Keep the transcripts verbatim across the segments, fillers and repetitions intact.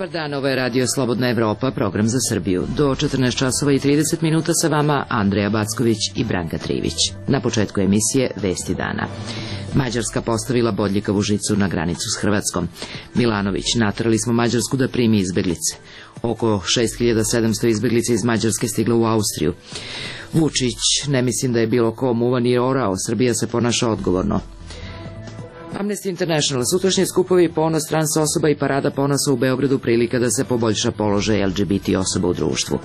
Dobar dan, ovo je Radio Slobodna Evropa, program za Srbiju. Do četrnaest časova i trideset minuta sa vama Andreja Backović i Branka Trivić. Na početku emisije Vesti dana. Mađarska postavila bodljikavu žicu na granicu s Hrvatskom. Milanović, naterali smo Mađarsku da primi izbeglice. Oko šest hiljada sedamsto izbeglica iz Mađarske stiglo u Austriju. Vučić, ne mislim da je bilo ko muva ni orao, Srbija se ponaša odgovorno. Amnesty International, sutrašnji skupovi ponos trans osoba i parada ponosa u Beogradu prilika da se poboljša položaj L G B T osoba u društvu.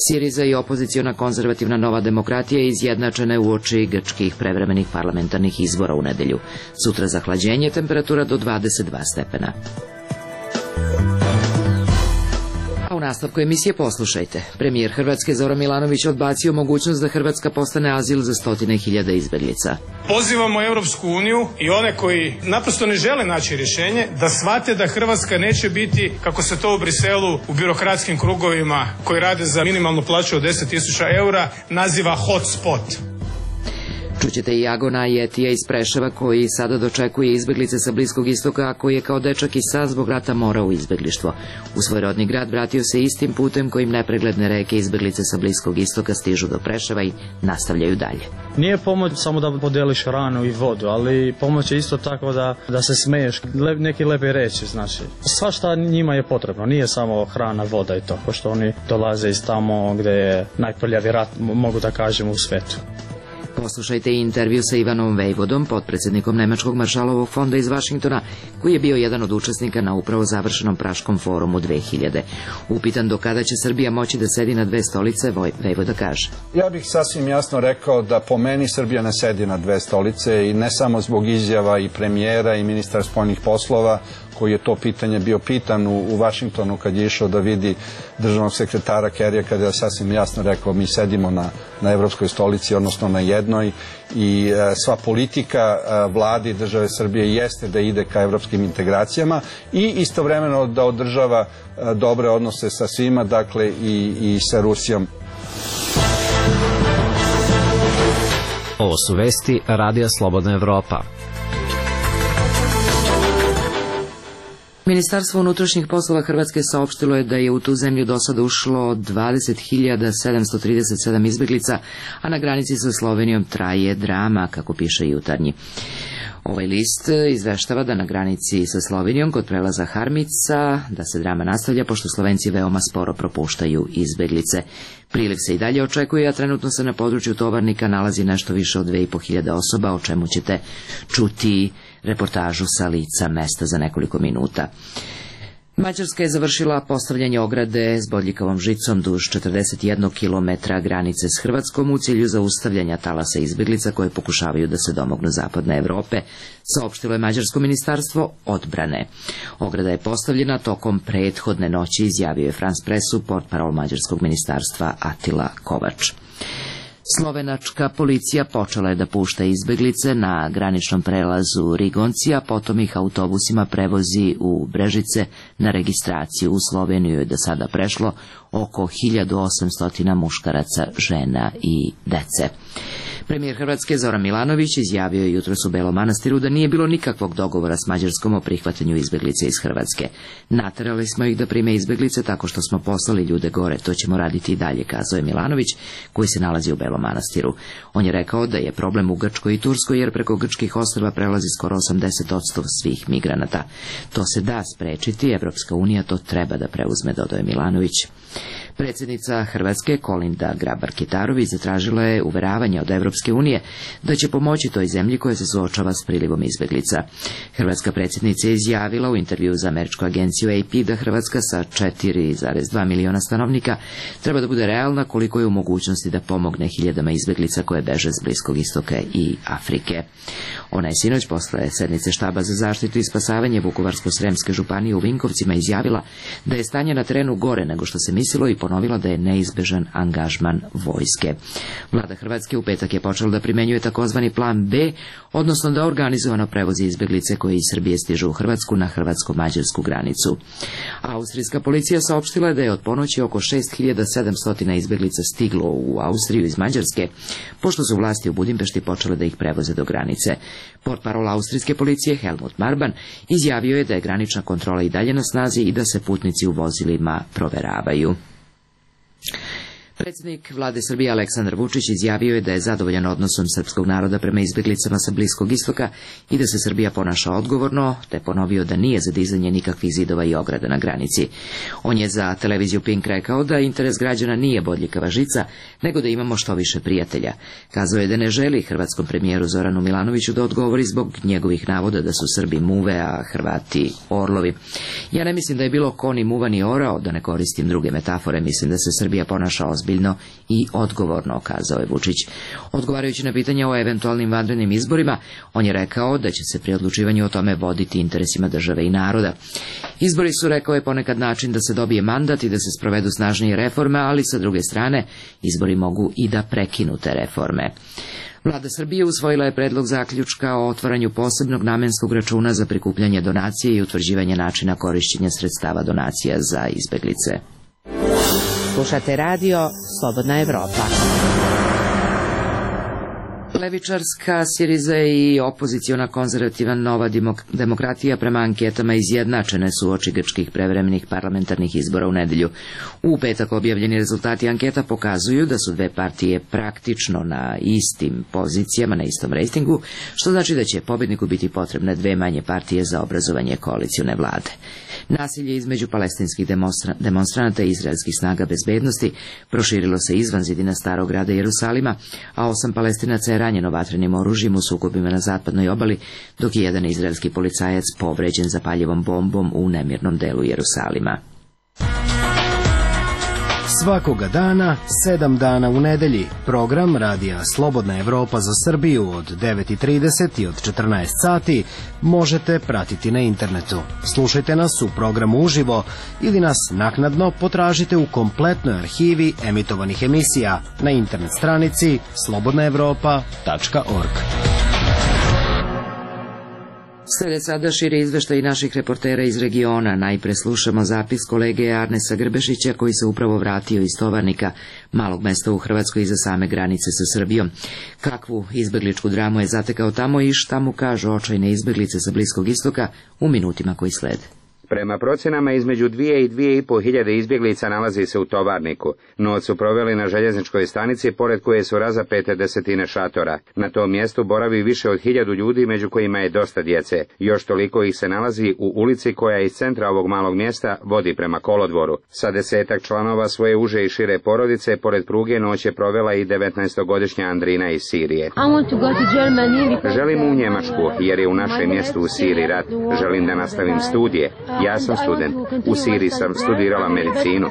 Siriza i opoziciona konzervativna Nova demokratija izjednačene uoči grčkih prevremenih parlamentarnih izbora u nedelju. Sutra zahlađenje, temperatura do dvadeset dva stepena. A u nastavku emisije poslušajte. Premijer Hrvatske Zoran Milanović odbacio mogućnost da Hrvatska postane azil za stotine hiljada izbeglica. Pozivamo Europsku uniju i one koji naprosto ne žele naći rješenje da shvate da Hrvatska neće biti, kako se to u Briselu u birokratskim krugovima koji rade za minimalnu plaću od deset tisuća eura naziva hotspot. Čućete i Agona Jetija iz Preševa koji sada dočekuje izbeglice sa Bliskog istoka, a koji je kao dečak i sad zbog rata morao u izbeglištvo. U svoj rodni grad vratio se istim putem kojim nepregledne reke izbeglice sa Bliskog istoka stižu do Preševa i nastavljaju dalje. Nije pomoć samo da podeliš hranu i vodu, ali pomoć je isto tako da, da se smeješ, lep, neki lepe reći, znači. Sva šta njima je potrebno, nije samo hrana, voda i to, pošto oni dolaze iz tamo gdje je najprljavi rat, mogu da kažem, u svetu. Poslušajte i intervju sa Ivanom Vejvodom, potpredsjednikom Nemačkog maršalovog fonda iz Vašingtona, koji je bio jedan od učesnika na upravo završenom Praškom forumu dve hiljade. Upitan do kada će Srbija moći da sedi na dve stolice, Vejvoda kaže: Ja bih sasvim jasno rekao da po meni Srbija ne sedi na dve stolice i ne samo zbog izjava i premijera i ministra spoljnih poslova, koji je to pitanje bio pitan u, u Vašingtonu kad je išao da vidi državnog sekretara Kerrya, kada je sasvim jasno rekao mi sedimo na, na evropskoj stolici, odnosno na jednoj, i e, sva politika e, vlade i države Srbije jeste da ide ka evropskim integracijama i istovremeno da održava e, dobre odnose sa svima, dakle i, i sa Rusijom. Ovo su vesti Radija Slobodna Evropa. Ministarstvo unutrašnjih poslova Hrvatske saopštilo je da je u tu zemlju do sada ušlo dvadeset hiljada sedamsto trideset sedam izbeglica, a na granici sa Slovenijom traje drama, kako piše Jutarnji. Ovaj list izveštava da na granici sa Slovenijom kod prelaza Harmica da se drama nastavlja, pošto Slovenci veoma sporo propuštaju izbeglice. Priliv se i dalje očekuje, a trenutno se na području Tovarnika nalazi nešto više od dve i po hiljade osoba, o čemu ćete čuti reportažu sa lica mesta za nekoliko minuta. Mađarska je završila postavljanje ograde s bodljikavom žicom duž četrdeset jedan kilometra granice s Hrvatskom u cilju zaustavljanja talasa izbeglica koje pokušavaju da se domognu zapadne Evrope, saopštilo je Mađarsko ministarstvo odbrane. Ograda je postavljena tokom prethodne noći, izjavio je France Pressu portparol Mađarskog ministarstva Atila Kovač. Slovenačka policija počela je da pušta izbeglice na graničnom prelazu Rigoncija, potom ih autobusima prevozi u Brežice na registraciju. U Sloveniju je do sada prešlo oko hiljadu osamsto muškaraca, žena i dece. Premijer Hrvatske Zoran Milanović izjavio je jutros u Belom Manastiru da nije bilo nikakvog dogovora s Mađarskom o prihvatanju izbeglice iz Hrvatske. Naterali smo ih da prime izbeglice tako što smo poslali ljude gore, to ćemo raditi i dalje, kazao je Milanović, koji se nalazi u Belom Manastiru. On je rekao da je problem u Grčkoj i Turskoj, jer preko grčkih ostrva prelazi skoro osamdeset posto svih migranata. To se da sprečiti, Evropska unija to treba da preuzme, dodao je Milanović. Predsjednica Hrvatske Kolinda Grabar-Kitarović zatražila je uveravanje od Evropske unije da će pomoći toj zemlji koja se suočava s prilivom izbeglica. Hrvatska predsjednica je izjavila u intervju za američku agenciju A P da Hrvatska sa četiri zarez dva miliona stanovnika treba da bude realna koliko je u mogućnosti da pomogne hiljadama izbeglica koje beže s Bliskog istoka i Afrike. Ona je sinoć posle sednice štaba za zaštitu i spasavanje Vukovarsko-sremske županije u Vinkovcima izjavila da je stanje na terenu gore nego što se mislilo i ponovila da je neizbežan angažman vojske. Vlada Hrvatske u petak je počela da primenjuje takozvani plan B, odnosno da organizovano prevozi izbeglice koje iz Srbije stižu u Hrvatsku na hrvatsko-mađarsku granicu. Austrijska policija saopštila je da je od ponoći oko šest hiljada sedamsto izbeglica stiglo u Austriju iz Mađarske, pošto su vlasti u Budimpešti počele da ih prevoze do granice. Portparol austrijske policije Helmut Marban izjavio je da je granična kontrola i dalje na snazi i da se putnici u vozilima proveravaju. Predsjednik vlade Srbije Aleksandar Vučić izjavio je da je zadovoljan odnosom srpskog naroda prema izbeglicama sa Bliskog istoka i da se Srbija ponaša odgovorno, te ponovio da nije za dizanje nikakvih zidova i ograda na granici. On je za televiziju Pink rekao da interes građana nije bodljikava žica, nego da imamo što više prijatelja. Kazao je da ne želi hrvatskom premijeru Zoranu Milanoviću da odgovori zbog njegovih navoda da su Srbi muve, a Hrvati orlovi. Ja ne mislim da je bilo ko ni muva ni orao, da ne koristim druge metafore, mislim da se Srbija ponaša ozbiljno i odgovorno, kazao je Vučić. Odgovarajući na pitanje o eventualnim vanrednim izborima, on je rekao da će se pri odlučivanju o tome voditi interesima države i naroda. Izbori su, rekao je, ponekad način da se dobije mandat i da se sprovedu snažnije reforme, ali sa druge strane, izbori mogu i da prekinu te reforme. Vlada Srbije usvojila je predlog zaključka o otvaranju posebnog namenskog računa za prikupljanje donacije i utvrđivanje načina korišćenja sredstava donacija za izbeglice. Slušate radio Slobodna Evropa. Levičarska Siriza i opoziciona konzervativna Nova demokratija prema anketama izjednačene su uoči grčkih prevremenih parlamentarnih izbora u nedelju. U petak objavljeni rezultati anketa pokazuju da su dve partije praktično na istim pozicijama, na istom rejtingu, što znači da će pobedniku biti potrebne dve manje partije za obrazovanje koalicione vlade. Nasilje između palestinskih demonstra demonstranata i izraelskih snaga bezbednosti proširilo se izvan zidina starog grada Jerusalima, a osam Palestinaca je ranjeno vatrenim oružjem u sukobima na zapadnoj obali, dok je jedan izraelski policajac povređen zapaljivom bombom u nemirnom delu Jerusalima. Svakoga dana, sedam dana u nedelji, program radija Slobodna Evropa za Srbiju od devet i trideset i od četrnaest sati možete pratiti na internetu. Slušajte nas u programu uživo ili nas naknadno potražite u kompletnoj arhivi emitovanih emisija na internet stranici slobodna evropa tačka org. Slede sada širi izveštaj naših reportera iz regiona. Najpre slušamo zapis kolege Arnesa Grbešića koji se upravo vratio iz Tovarnika, malog mesta u Hrvatskoj iza same granice sa Srbijom. Kakvu izbegličku dramu je zatekao tamo i šta mu kažu očajne izbeglice sa Bliskog istoka u minutima koji slede. Prema procjenama između dvije i dvije i po hiljade izbjeglica nalazi se u Tovarniku. Noć su proveli na željezničkoj stanici, pored koje su razapete desetine šatora. Na tom mjestu boravi više od hiljadu ljudi, među kojima je dosta djece. Još toliko ih se nalazi u ulici koja iz centra ovog malog mjesta vodi prema kolodvoru. Sa desetak članova svoje uže i šire porodice, pored pruge noć je provela i devetnaestogodišnja Andrina iz Sirije. Želim u Njemačku, jer je u našem mjestu u Siriji rat. Želim da nastavim studije. Ja sam student. U Siriji sam studirala medicinu.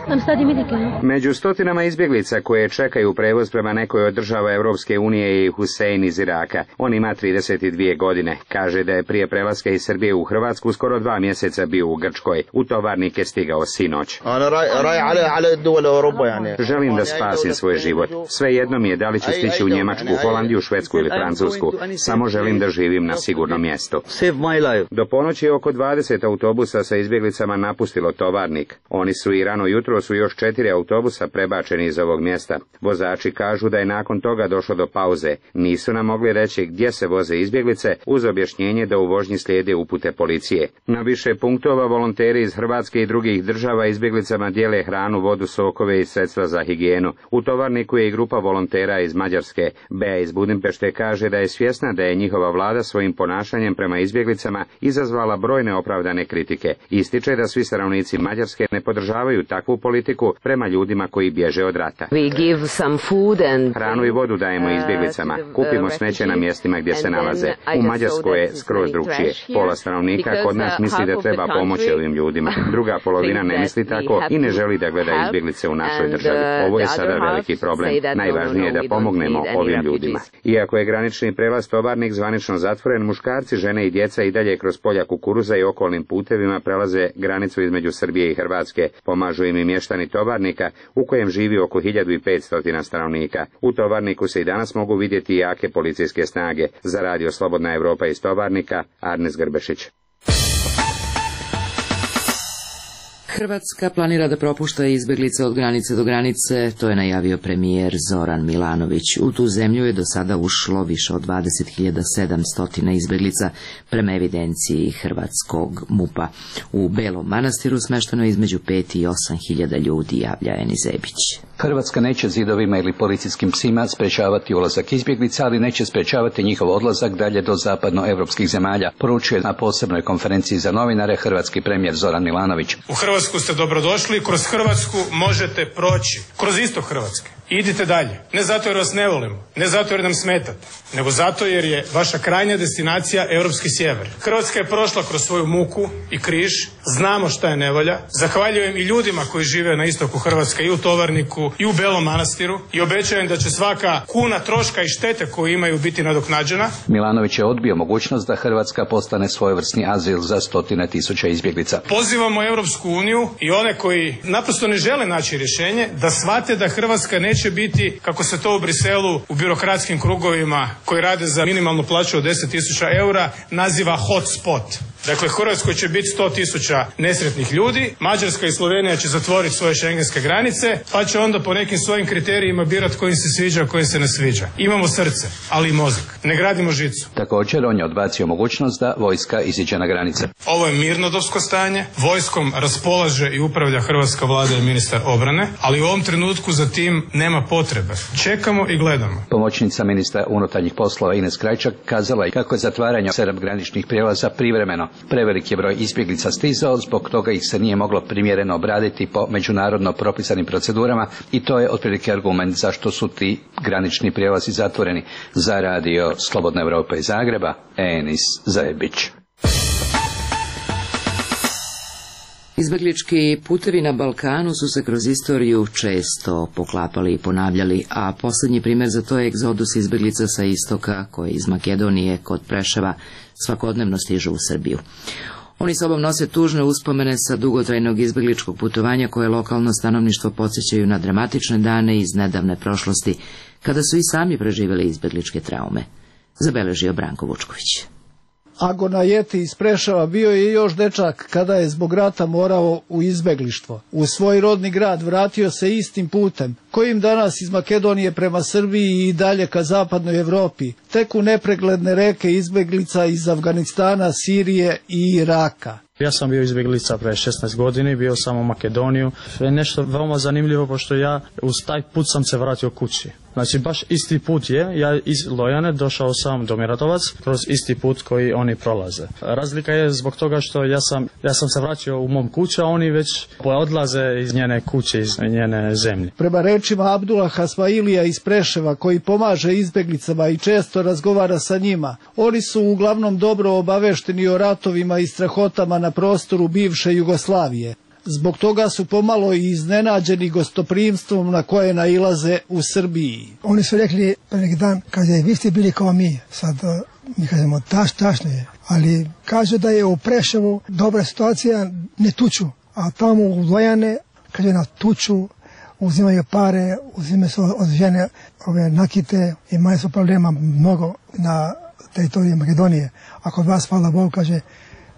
Među stotinama izbjeglica koje čekaju prevoz prema nekoj od država Europske unije je i Husein iz Iraka. On ima trideset dvije godine. Kaže da je prije prelaska iz Srbije u Hrvatsku skoro dva mjeseca bio u Grčkoj. U Tovarnik je stigao sinoć. Želim da spasim svoj život. Svejedno mi je da li ću stići u Njemačku, Holandiju, Švedsku ili Francusku. Samo želim da živim na sigurnom mjestu. Do ponoći oko dvadeset autobusa sa izbjeglicama napustilo Tovarnik. Oni su i rano jutro su još četiri autobusa prebačeni iz ovog mjesta. Vozači kažu da je nakon toga došlo do pauze. Nisu nam mogli reći gdje se voze izbjeglice, uz objašnjenje da u vožnji slijede upute policije. Na više punktova volonteri iz Hrvatske i drugih država izbjeglicama dijele hranu, vodu, sokove i sredstva za higijenu. U Tovarniku je i grupa volontera iz Mađarske. Bea iz Budimpešte kaže da je svjesna da je njihova vlada svojim ponašanjem prema izbjeglicama izazvala brojne opravdane kritike. Ističe da svi stanovnici Mađarske ne podržavaju takvu politiku prema ljudima koji bježe od rata. Hranu i vodu dajemo izbjeglicama, kupimo smeće na mjestima gdje se nalaze. U Mađarskoj je skroz drugčije. Pola stanovnika kod nas misli da treba pomoći ovim ljudima. Druga polovina ne misli tako i ne želi da gleda izbjeglice u našoj državi. Ovo je sada veliki problem. Najvažnije je da pomognemo ovim ljudima. Iako je granični prelaz Tovarnik zvanično zatvoren, muškarci, žene i djeca i dalje kroz polja kukuruza i okolnim putevima prelaze granicu između Srbije i Hrvatske. Pomažu im i mještani Tovarnika, u kojem živi oko hiljadu petsto stanovnika. U Tovarniku se i danas mogu vidjeti jake policijske snage. Za radio Slobodna Evropa iz Tovarnika, Arnes Grbešić. Hrvatska planira da propušta izbeglice od granice do granice, to je najavio premijer Zoran Milanović. U tu zemlju je do sada ušlo više od dvadeset hiljada sedamsto izbeglica prema evidenciji hrvatskog MUP-a. U Belom Manastiru smešteno je između pet i osam hiljada ljudi, javlja Eni Zebić. Hrvatska neće zidovima ili policijskim psima sprečavati ulazak izbjeglica, ali neće sprečavati njihov odlazak dalje do zapadnoevropskih zemalja, poručuje na posebnoj konferenciji za novinare hrvatski premijer Zoran Milanović. U Hrvatsku ste dobrodošli, kroz Hrvatsku možete proći, kroz istok Hrvatske. Idite dalje. Ne zato jer vas ne volimo, ne zato jer nam smetate, nego zato jer je vaša krajnja destinacija europski sjever. Hrvatska je prošla kroz svoju muku i križ, znamo šta je nevolja. Zahvaljujem i ljudima koji žive na istoku Hrvatske, i u Tovarniku, i u Belom Manastiru, i obećajem da će svaka kuna troška i štete koju imaju biti nadoknađena. Milanović je odbio mogućnost da Hrvatska postane svojevrsni azil za stotine tisuća izbjeglica. Pozivamo Europsku uniju i one koji naprosto ne žele naći rješenje da shvate da Hrvatska neće će biti, kako se to u Briselu u birokratskim krugovima koji rade za minimalnu plaću od deset tisuća eura naziva hotspot. Dakle, Hrvatskoj će biti sto tisuća nesretnih ljudi, Mađarska i Slovenija će zatvoriti svoje šengenske granice, pa će onda po nekim svojim kriterijima birati koji se sviđa, a koji se ne sviđa. Imamo srce, ali i mozak. Ne gradimo žicu. Također, on je odbacio mogućnost da vojska iziđe na granice. Ovo je mirnodopsko stanje, vojskom raspolaže i upravlja hrvatska vlada i ministar obrane, ali u ovom trenutku za tim nema potrebe. Čekamo i gledamo. Pomoćnica ministra unutarnjih poslova Ines Krajčak kazala je kako je zatvaranje sedam graničnih prijelaza privremeno. Prevelik je broj izbjeglica stizao, zbog toga ih se nije moglo primjereno obraditi po međunarodno propisanim procedurama i to je otprilike argument zašto su ti granični prijelazi zatvoreni. Za radio Slobodna Evropa iz Zagreba, Enis Zajebić. Izbeglički putevi na Balkanu su se kroz istoriju često poklapali i ponavljali, a posljednji primjer za to je egzodus izbeglica sa istoka, koji iz Makedonije kod Preševa svakodnevno stižu u Srbiju. Oni sobom nose tužne uspomene sa dugotrajnog izbegličkog putovanja koje lokalno stanovništvo podsjećaju na dramatične dane iz nedavne prošlosti, kada su i sami preživjeli izbegličke traume. Zabeležio Branko Vučković. Agona Jeti iz Preševa bio je još dečak kada je zbog rata morao u izbeglištvo. U svoj rodni grad vratio se istim putem, kojim danas iz Makedonije prema Srbiji i dalje ka zapadnoj Evropi teku nepregledne reke izbeglica iz Afganistana, Sirije i Iraka. Ja sam bio izbjeglica pre šesnaest godina, bio sam u Makedoniju. Je nešto veoma zanimljivo, pošto ja uz taj put sam se vratio kući. Znači, baš isti put je, ja iz Lojane došao sam do Miratovac kroz isti put koji oni prolaze. Razlika je zbog toga što ja sam, ja sam se vraćao u mom kuću, a oni već odlaze iz njene kuće, iz njene zemlje. Prema rečima Abdula Hasmailija iz Preševa, koji pomaže izbjeglicama i često razgovara sa njima, oni su uglavnom dobro obavešteni o ratovima i strahotama na prostoru bivše Jugoslavije. Zbog toga su pomalo i iznenađeni gostoprimstvom na koje nailaze u Srbiji. Oni su rekli pre neki dan, kaže, vi ste bili kao mi. Sad mi kažemo, taš, tašno je. Ali kažu da je u Preševu dobra situacija, ne tuču. A tamo u Lojane, kaže, na tuču, uzimaju pare, uzimaju se od žene ove nakite, imaju su problema mnogo na teritoriji Makedonije. A kod vas, hvala Bogu, kaže,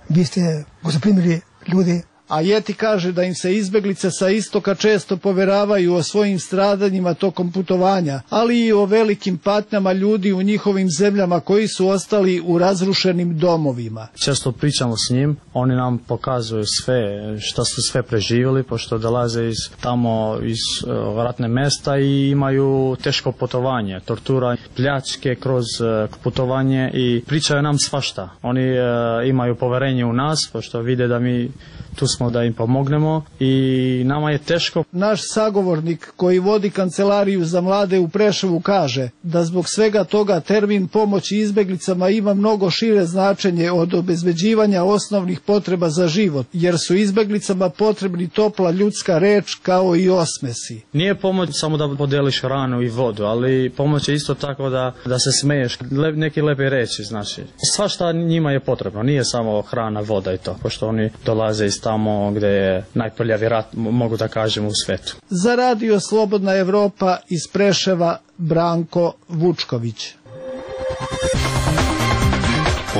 vi ste gostoprimili ljudi. A Jeti kaže da im se izbeglice sa istoka često poveravaju o svojim stradanjima tokom putovanja, ali i o velikim patnjama ljudi u njihovim zemljama koji su ostali u razrušenim domovima. Često pričamo s njim, oni nam pokazuju sve šta su sve preživjeli, pošto dolaze iz tamo iz uh, ratne mesta i imaju teško putovanje, tortura, pljačke kroz uh, putovanje i pričaju nam svašta. Oni uh, imaju poverenje u nas, pošto vide da mi tu smo da im pomognemo i nama je teško. Naš sagovornik koji vodi kancelariju za mlade u Preševu kaže da zbog svega toga termin pomoći izbeglicama ima mnogo šire značenje od obezbeđivanja osnovnih potreba za život, jer su izbeglicama potrebni topla ljudska reč kao i osmesi. Nije pomoć samo da podeliš hranu i vodu, ali pomoć je isto tako da, da se smeješ, lep, neki lepe reči, znači. Sva šta njima je potrebno, nije samo hrana, voda i to, pošto oni dolaze iz tamo gde je najprljavi rat, mogu da kažem, u svetu. Za Radio Slobodna Evropa iz Preševa, Branko Vučković.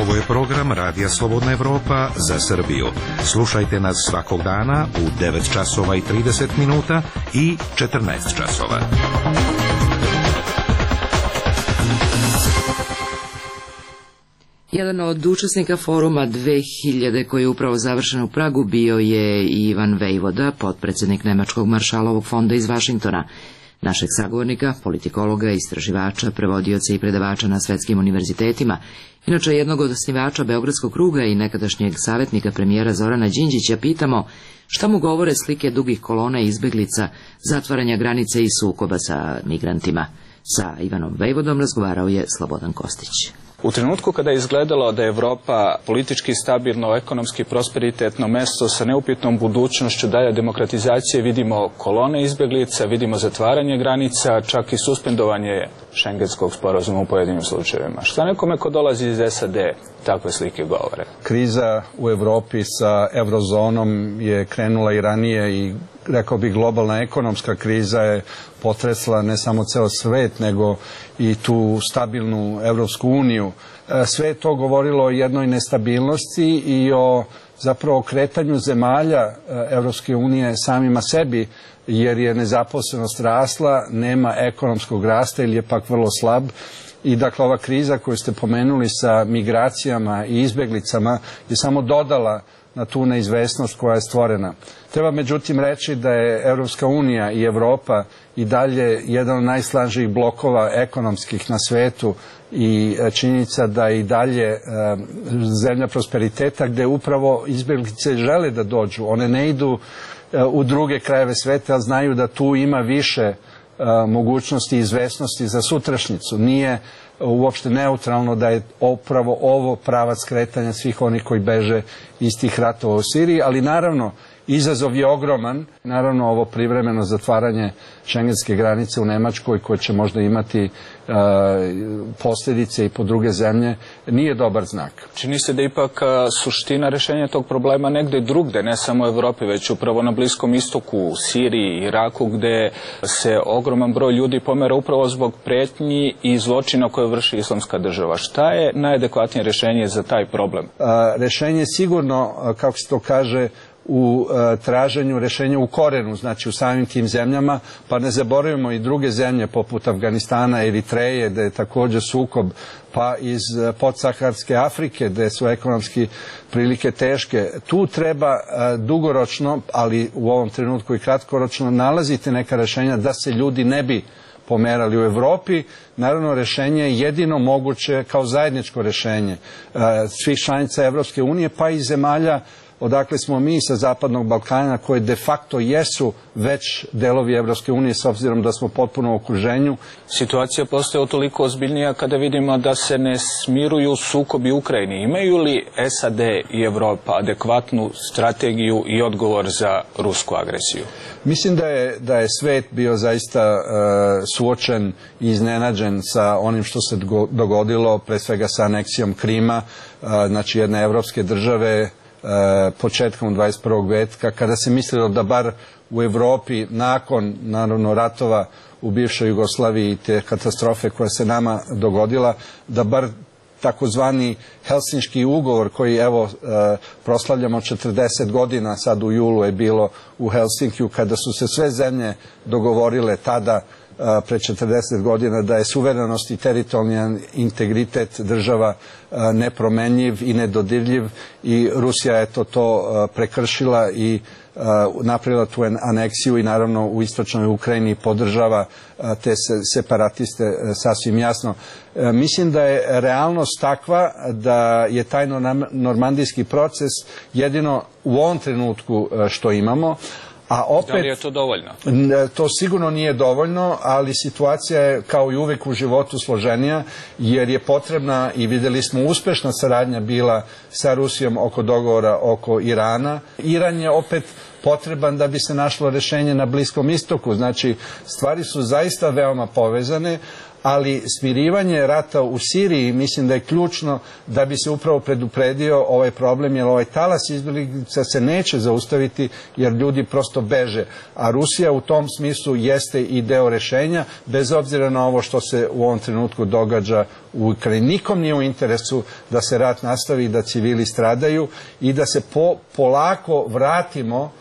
Ovo je program Radija Slobodna Evropa za Srbiju. Slušajte nas svakog dana u devet časova i trideset minuta i četrnaest časova. Jedan od učesnika foruma dve hiljade koji je upravo završen u Pragu bio je Ivan Vejvoda, potpredsjednik Nemačkog maršalovog fonda iz Vašingtona. Našeg sagovornika, politikologa, istraživača, prevodioca i predavača na svetskim univerzitetima, inače jednog od osnivača Beogradskog kruga i nekadašnjeg savjetnika premijera Zorana Đinđića, pitamo šta mu govore slike dugih kolona izbeglica, zatvaranja granice i sukoba sa migrantima. Sa Ivanom Vejvodom razgovarao je Slobodan Kostić. U trenutku kada je izgledalo da je Evropa politički stabilno, ekonomski prosperitetno mesto sa neupitnom budućnošću dalje demokratizacije, vidimo kolone izbjeglica, vidimo zatvaranje granica, čak i suspendovanje šengenskog sporazuma u pojedinim slučajevima. Šta nekome ko dolazi iz S A D takve slike govore? Kriza u Evropi sa eurozonom je krenula i ranije i rekao bih globalna ekonomska kriza je potresla ne samo ceo svet, nego i tu stabilnu Evropsku uniju. Sve je to govorilo o jednoj nestabilnosti i o zapravo kretanju zemalja Evropske unije samima sebi, jer je nezaposlenost rasla, nema ekonomskog rasta ili je pak vrlo slab. I dakle ova kriza koju ste pomenuli sa migracijama i izbeglicama je samo dodala na tu neizvesnost koja je stvorena. Treba međutim reći da je Evropska unija i Evropa i dalje jedan od najsnažnijih blokova ekonomskih na svetu i činjenica da i dalje zemlja prosperiteta gde upravo izbeglice žele da dođu. One ne idu u druge krajeve sveta, ali znaju da tu ima više mogućnosti i izvesnosti za sutrašnjicu. Nije uopšte neutralno da je upravo ovo pravac kretanja svih onih koji beže iz tih ratova u Siriji, ali naravno izazov je ogroman. Naravno ovo privremeno zatvaranje šengenske granice u Nemačkoj koje će možda imati e, posljedice i po druge zemlje nije dobar znak. Čini se da ipak suština rešenja tog problema negde drugde, ne samo u Evropi, već upravo na Bliskom istoku, u Siriji, Iraku, gde se ogroman broj ljudi pomera upravo zbog pretnji i zločina koje vrši islamska država. Šta je najadekvatnije rešenje za taj problem? A, rešenje je sigurno, kako se to kaže, u e, traženju rešenja u korenu, znači u samim tim zemljama, pa ne zaboravimo i druge zemlje poput Afganistana, Eritreje, gde je također sukob, pa iz podsaharske Afrike, gde su ekonomski prilike teške. Tu treba e, dugoročno, ali u ovom trenutku i kratkoročno, nalaziti neka rešenja da se ljudi ne bi pomerali u Evropi. Naravno, rešenje je jedino moguće kao zajedničko rešenje e, svih članica Evropske unije, pa i zemalja odakle smo mi sa Zapadnog Balkana, koje de facto jesu već delovi Evropske unije s obzirom da smo potpuno u okruženju. Situacija postaje toliko ozbiljnija kada vidimo da se ne smiruju sukobi u Ukrajini. Imaju li S A D i Evropa adekvatnu strategiju i odgovor za rusku agresiju? Mislim da je, da je svet bio zaista e, suočen i iznenađen sa onim što se dogodilo, pre svega sa aneksijom Krima, e, znači jedne evropske države, početkom dvadeset prvog veka, kada se mislilo da bar u Evropi nakon naravno ratova u bivšoj Jugoslaviji i te katastrofe koja se nama dogodila, da bar takozvani Helsinški ugovor koji evo proslavljamo četrdeset godina, sad u julu je bilo u Helsinkiju, kada su se sve zemlje dogovorile tada pre četrdeset godina da je suverenost i teritorijalni integritet država nepromenljiv i nedodirljiv i Rusija je to, to prekršila i napravila tu aneksiju i naravno u istočnoj Ukrajini podržava te separatiste sasvim jasno. Mislim da je realnost takva da je taj normandijski proces jedino u ovom trenutku što imamo. A opet, da li je to dovoljno? To sigurno nije dovoljno, ali situacija je kao i uvek u životu složenija, jer je potrebna, i videli smo, uspešna saradnja bila sa Rusijom oko dogovora oko Irana. Iran je opet potreban da bi se našlo rešenje na Bliskom istoku. Znači, stvari su zaista veoma povezane, ali smirivanje rata u Siriji mislim da je ključno da bi se upravo predupredio ovaj problem, jer ovaj talas izbjeglica se neće zaustaviti jer ljudi prosto beže. A Rusija u tom smislu jeste i deo rešenja, bez obzira na ovo što se u ovom trenutku događa u Ukrajini. Nikom nije u interesu da se rat nastavi i da civili stradaju i da se po, polako vratimo,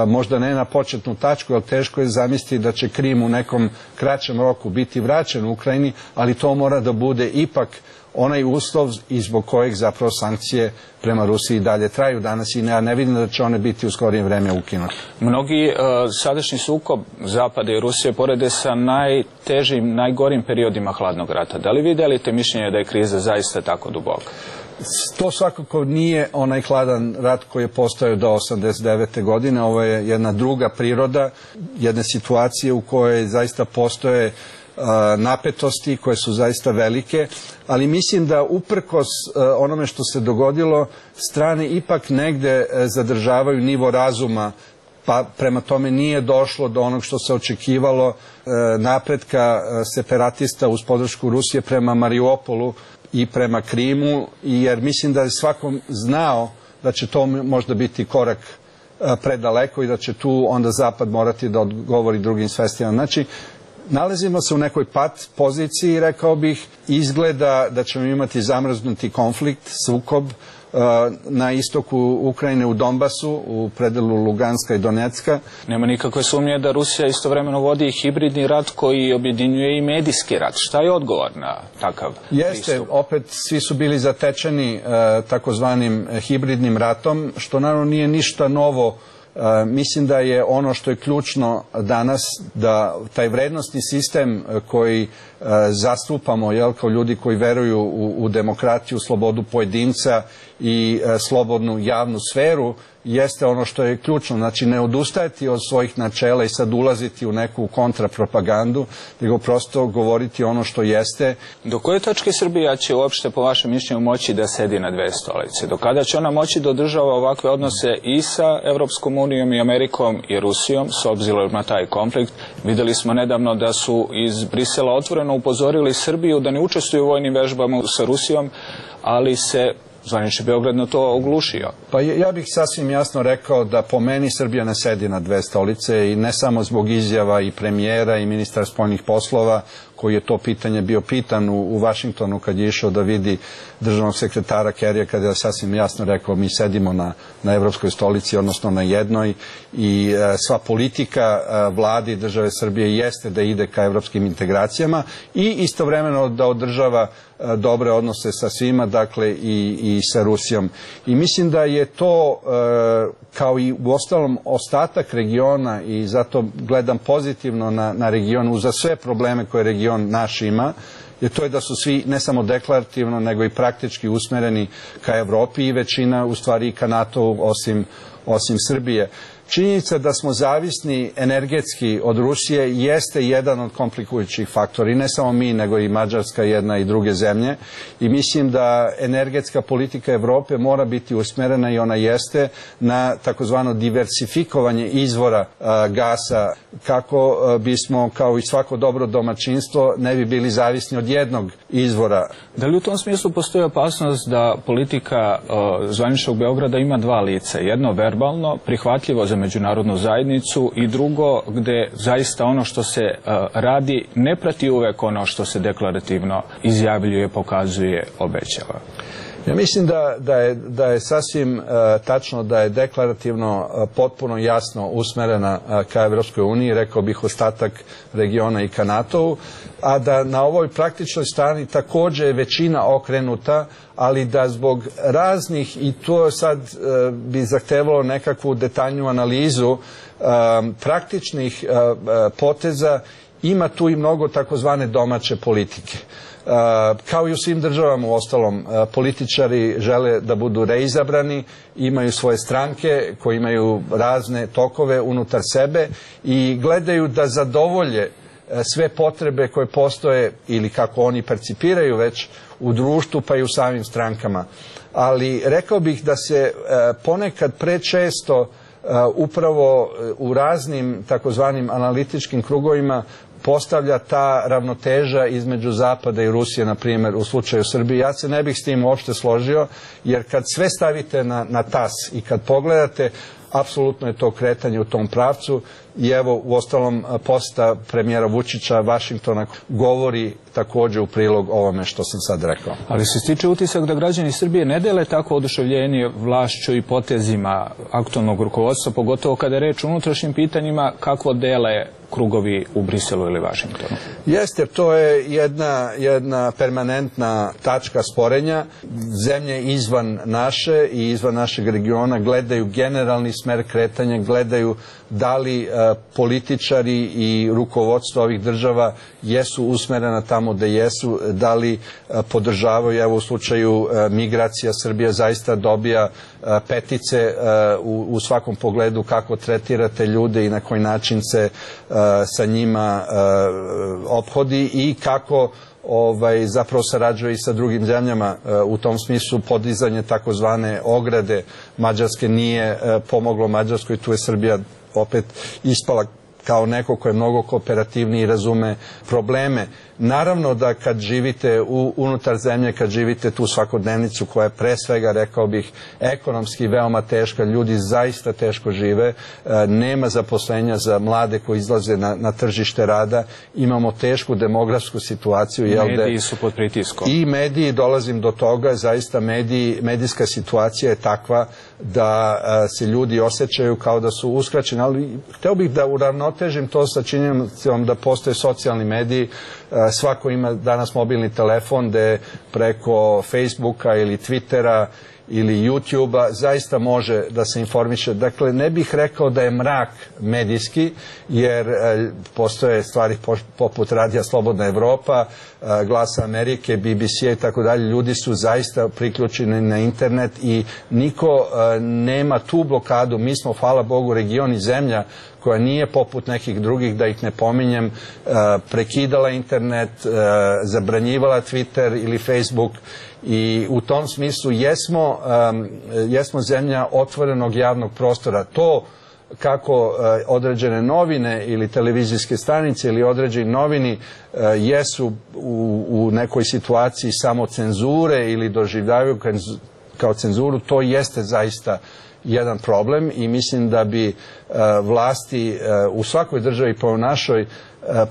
možda ne na početnu tačku, ali teško je zamisliti da će Krim u nekom kraćem roku biti vraćen u Ukrajini, ali to mora da bude ipak onaj uslov i zbog kojeg zapravo sankcije prema Rusiji dalje traju danas i ne, ne vidim da će one biti u skorije vreme ukinute. Mnogi uh, sadašnji sukob Zapada i Rusije porede sa najtežim, najgorim periodima hladnog rata. Da li vi delite mišljenje da je kriza zaista tako duboka? To svakako nije onaj hladan rat koji je postojao do osamdeset devete godine. Ovo je jedna druga priroda, jedne situacije u kojoj zaista postoje uh, napetosti koje su zaista velike, ali mislim da uprkos uh, onome što se dogodilo, strane ipak negde uh, zadržavaju nivo razuma, pa prema tome nije došlo do onog što se očekivalo uh, napretka uh, separatista uz podršku Rusije prema Mariupolu i prema Krimu, jer mislim da je svakom znao da će to možda biti korak predaleko i da će tu onda Zapad morati da odgovori drugim svestima. Znači, nalazimo se u nekoj pat poziciji, rekao bih, izgleda da ćemo imati zamrznuti konflikt, sukob na istoku Ukrajine u Donbasu, u predelu Luganska i Donecka. Nema nikakve sumnje da Rusija istovremeno vodi hibridni rat koji objedinjuje i medijski rat. Šta je odgovor na takav Jeste, pristup? opet svi su bili zatečeni takozvanim hibridnim ratom, što naravno nije ništa novo. Mislim da je ono što je ključno danas da taj vrednostni sistem koji zastupamo, jel, kao ljudi koji veruju u, u demokratiju, slobodu pojedinca i slobodnu javnu sferu, jeste ono što je ključno. Znači, ne odustajati od svojih načela i sad ulaziti u neku kontrapropagandu, nego prosto govoriti ono što jeste. Do koje točke Srbija će uopšte, po vašem mišljenju, moći da sedi na dve stolice? Do kada će ona moći da održava ovakve odnose i sa Evropskom unijom i Amerikom i Rusijom, s obzirom na taj konflikt? Videli smo nedavno da su iz Brisela otvoreno upozorili Srbiju da ne učestvuju u vojnim vežbama sa Rusijom, ali se zvanični Beograd na to oglušio. Pa ja bih sasvim jasno rekao da po meni Srbija ne sedi na dve stolice i ne samo zbog izjava i premijera i ministra spoljnih poslova, koji je to pitanje bio pitan u, u Vašingtonu kad je išao da vidi državnog sekretara Kerrya, kada je sasvim jasno rekao mi sedimo na, na evropskoj stolici, odnosno na jednoj, i e, sva politika e, vladi države Srbije jeste da ide ka evropskim integracijama i istovremeno da održava e, dobre odnose sa svima, dakle i, i sa Rusijom. I mislim da je to e, kao i u ostalom ostatak regiona, i zato gledam pozitivno na, na region uza sve probleme koje region naš ima, jer to je da su svi ne samo deklarativno nego i praktički usmereni ka Evropi i većina u stvari i ka NATO osim, osim Srbije. Činjenica da smo zavisni energetski od Rusije jeste jedan od komplikujućih faktora, i ne samo mi, nego i Mađarska, jedna i druge zemlje, i mislim da energetska politika Evrope mora biti usmerena, i ona jeste, na takozvano diversifikovanje izvora a, gasa, kako a, bismo, kao i svako dobro domaćinstvo, ne bi bili zavisni od jednog izvora. Da li u tom smislu postoji opasnost da politika a, zvaničnog Beograda ima dva lica? Jedno verbalno, prihvatljivo za međunarodnu zajednicu, i drugo gde zaista ono što se uh, radi ne prati uvek ono što se deklarativno izjavljuje, pokazuje, obećava. Ja mislim da, da, je, da je sasvim uh, tačno da je deklarativno uh, potpuno jasno usmerena uh, ka Evropskoj uniji, rekao bih ostatak regiona i ka NATO-u, a da na ovoj praktičnoj strani također je većina okrenuta, ali da zbog raznih, i to sad uh, bi zahtevalo nekakvu detaljnu analizu uh, praktičnih uh, uh, poteza, ima tu i mnogo takozvane domaće politike. Uh, kao i u svim državama u ostalom, uh, političari žele da budu reizabrani, imaju svoje stranke koji imaju razne tokove unutar sebe i gledaju da zadovolje uh, sve potrebe koje postoje ili kako oni percipiraju već u društvu pa i u samim strankama. Ali rekao bih da se uh, ponekad prečesto uh, upravo u raznim takozvanim analitičkim krugovima postavlja ta ravnoteža između Zapada i Rusije, na primjer, u slučaju Srbije. Ja se ne bih s tim uopšte složio, jer kad sve stavite na, na tas i kad pogledate, apsolutno je to kretanje u tom pravcu i evo, u ostalom, poseta premijera Vučića Vašingtona govori također u prilog ovome što sam sad rekao. Ali se stiče utisak da građani Srbije ne dele tako oduševljenje vlašću i potezima aktualnog rukovodstva, pogotovo kada je reč o unutrašnjim pitanjima, kako dele krugovi u Briselu ili Vašingtonu. Jeste, to je jedna, jedna permanentna tačka sporenja. Zemlje izvan naše i izvan našeg regiona gledaju generalni smer kretanja, gledaju da li uh, političari i rukovodstvo ovih država jesu usmerena tamo da jesu, da li uh, podržavaju, evo u slučaju uh, migracija, Srbija zaista dobija uh, petice uh, u, u svakom pogledu kako tretirate ljude i na koji način se uh, sa njima uh, ophodi i kako ovaj, zapravo sarađuje i sa drugim zemljama. U tom smislu podizanje takozvane ograde Mađarske nije pomoglo Mađarskoj, tu je Srbija opet ispala kao neko ko je mnogo kooperativniji i razume probleme. Naravno da kad živite u, unutar zemlje, kad živite tu svakodnevnicu koja je pre svega, rekao bih, ekonomski veoma teška, ljudi zaista teško žive, e, nema zaposlenja za mlade koji izlaze na, na tržište rada, imamo tešku demografsku situaciju. Jel, mediji su pod pritiskom. I mediji, dolazim do toga, zaista mediji, medijska situacija je takva da a, se ljudi osjećaju kao da su uskraćeni, ali hteo bih da uravnotežim to sa činjenicom da postoje socijalni mediji. Svako ima danas mobilni telefon gde preko Facebooka ili Twittera ili YouTubea zaista može da se informiše. Dakle, ne bih rekao da je mrak medijski, jer e, postoje stvari po, poput Radija Slobodna Evropa, e, Glasa Amerike, B B C i tako dalje. Ljudi su zaista priključeni na internet i niko e, nema tu blokadu. Mi smo, hvala Bogu, region i zemlja koja nije poput nekih drugih, da ih ne pominjem, prekidala internet, zabranjivala Twitter ili Facebook i u tom smislu jesmo, jesmo zemlja otvorenog javnog prostora. To kako određene novine ili televizijske stanice ili određeni novini jesu u, u nekoj situaciji samo cenzure ili doživljavaju kao cenzuru, to jeste zaista jedan problem i mislim da bi uh, vlasti uh, u svakoj državi pa u našoj uh,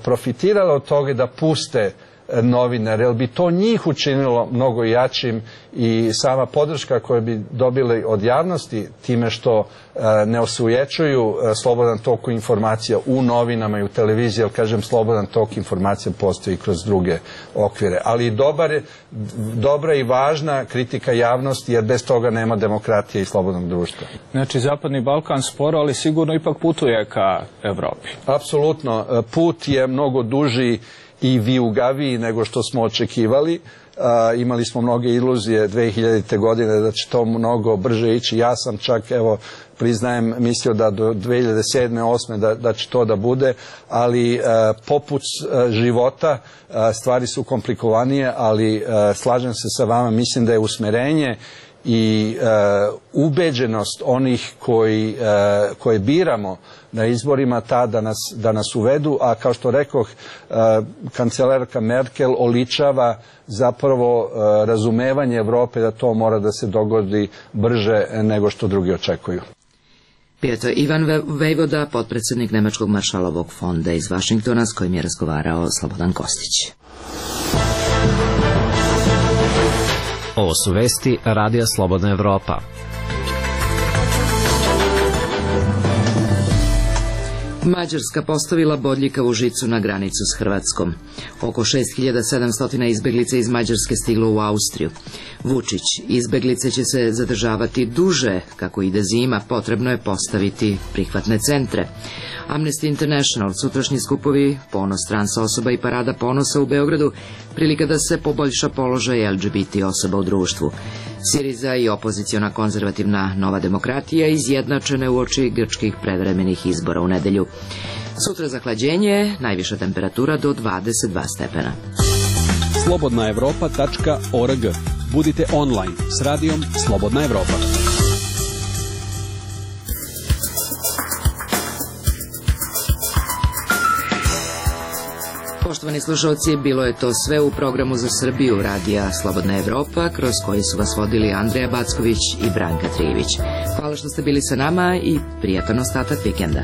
profitirale od toga da puste uh, novinare, jer bi to njih učinilo mnogo jačim i sama podrška koju bi dobili od javnosti time što uh, ne osujećuju uh, slobodan tok informacija u novinama i u televiziji, jer kažem slobodan tok informacija postoji kroz druge okvire, ali dobar, dobra i važna kritika javnosti, jer bez toga nema demokratije i slobodnog društva. Znači, Zapadni Balkan sporo, ali sigurno ipak putuje ka Evropi. Apsolutno, put je mnogo duži i vijugaviji nego što smo očekivali. Uh, imali smo mnoge iluzije dve hiljadite. godine da će to mnogo brže ići. Ja sam čak, evo, priznajem, mislio da do dve hiljade sedme osme da, da će to da bude, ali uh, poput uh, života uh, stvari su komplikovanije, ali uh, slažem se sa vama, mislim da je usmerenje i uh, ubeđenost onih koji, uh, koje biramo na izborima ta da nas, da nas uvedu, a kao što rekoh, uh, kancelarka Merkel oličava zapravo uh, razumevanje Evrope da to mora da se dogodi brže nego što drugi očekuju. Bio to Ivan Vejvoda, potpredsjednik Nemačkog maršalovog fonda iz Vašingtona, s kojim je razgovarao Slobodan Kostić. Ovo su vesti Radija Slobodna Evropa. Mađarska postavila bodljikavu žicu na granicu s Hrvatskom. Oko šest hiljada sedamsto izbeglica iz Mađarske stiglo u Austriju. Vučić, izbeglice će se zadržavati duže, kako ide zima, potrebno je postaviti prihvatne centre. Amnesty International, sutrašnji skupovi, ponos trans osoba i parada ponosa u Beogradu, prilika da se poboljša položaj L G B T osoba u društvu. Siriza i opoziciona konzervativna Nova demokratija izjednačene uoči grčkih predvremenih izbora u nedelju. Sutra zahlađenje, najviša temperatura do dvadeset dva stepena. slobodna evropa tačka org. Budite online s radijom Slobodna Evropa. Poštovani slušalci, bilo je to sve u programu za Srbiju Radija Slobodna Evropa, kroz koji su vas vodili Andreja Backović i Branka Trijević. Hvala što ste bili sa nama i prijatan ostatak vikenda.